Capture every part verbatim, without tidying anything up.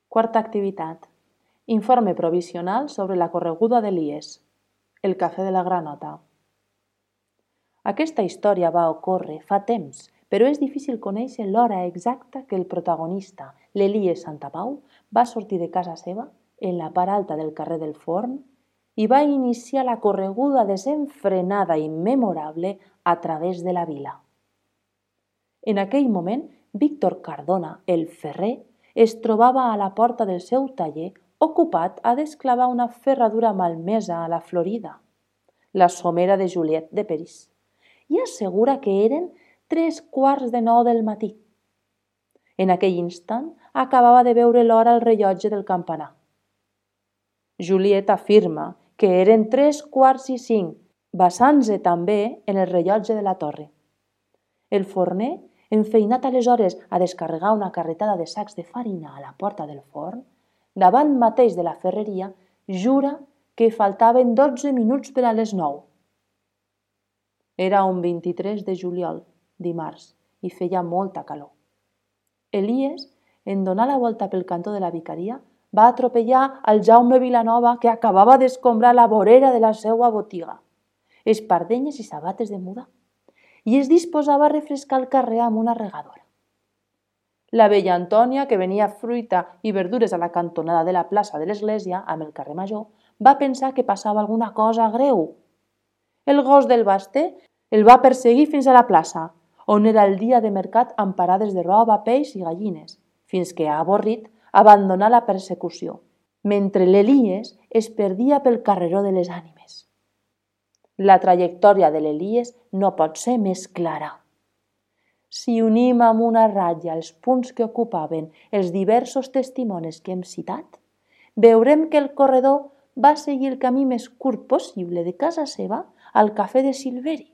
Quarta activitat. Informe provisional sobre la correguda d'Elies. El cafè de la granota. Aquesta història va ocórrer fa temps, però és difícil conèixer l'hora exacta que el protagonista, l'Elies Santapau, va sortir de casa seva, en la part alta del carrer del Forn, i va iniciar la correguda desenfrenada i memorable a través de la vila. En aquell moment, Víctor Cardona, el ferrer, es trobava a la porta del seu taller ocupat a desclavar una ferradura malmesa a la Florida, la somera de Juliet de Peris, i assegura que eren tres quarts de nou del matí. En aquell instant acabava de veure l'hora al rellotge del campanar. Juliet afirma que eren tres quarts i cinc, basant-se també en el rellotge de la torre. El forner, enfeinat aleshores a descarregar una carretada de sacs de farina a la porta del forn, davant mateix de la ferreria, jura que faltaven dotze minuts per a les nou. Era un vint-i-tres de juliol, dimarts, i feia molta calor. Elies, en donar la volta pel cantó de la vicaria, va atropellar al Jaume Vilanova, que acabava d'escombrar la vorera de la seva botiga, espardenyes i sabates de muda, i es disposava a refrescar el carrer amb una regadora. La vella Antònia, que venia fruita i verdures a la cantonada de la plaça de l'església, amb el carrer Major, va pensar que passava alguna cosa greu. El gos del Basté el va perseguir fins a la plaça, on era el dia de mercat amb parades de roba, peix i gallines, fins que, avorrit, abandonà la persecució, mentre l'Elies es perdia pel carreró de les ànimes. La trajectòria de l'Elies no pot ser més clara. Si unim amb una ratlla els punts que ocupaven els diversos testimonis que hem citat, veurem que el corredor va seguir el camí més curt possible de casa seva al cafè de Silveri,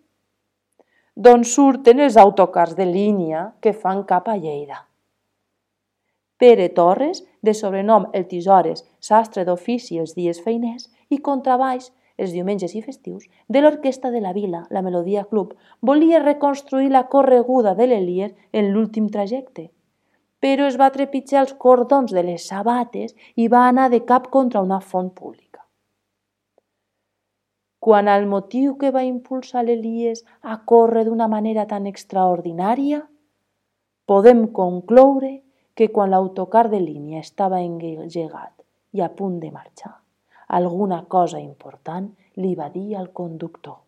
d'on surten els autocars de línia que fan cap a Lleida. Pere Torres, de sobrenom el Tisores, sastre d'ofici els dies feiners i contrabaix els diumenges i festius, de l'orquestra de la vila, la Melodia Club, volia reconstruir la correguda de l'Elies en l'últim trajecte, però es va trepitjar els cordons de les sabates i va anar de cap contra una font pública. Quant al motiu que va impulsar l'Elies a córrer d'una manera tan extraordinària, podem concloure que quan l'autocar de línia estava engegat i a punt de marxar, alguna cosa important li va dir al conductor.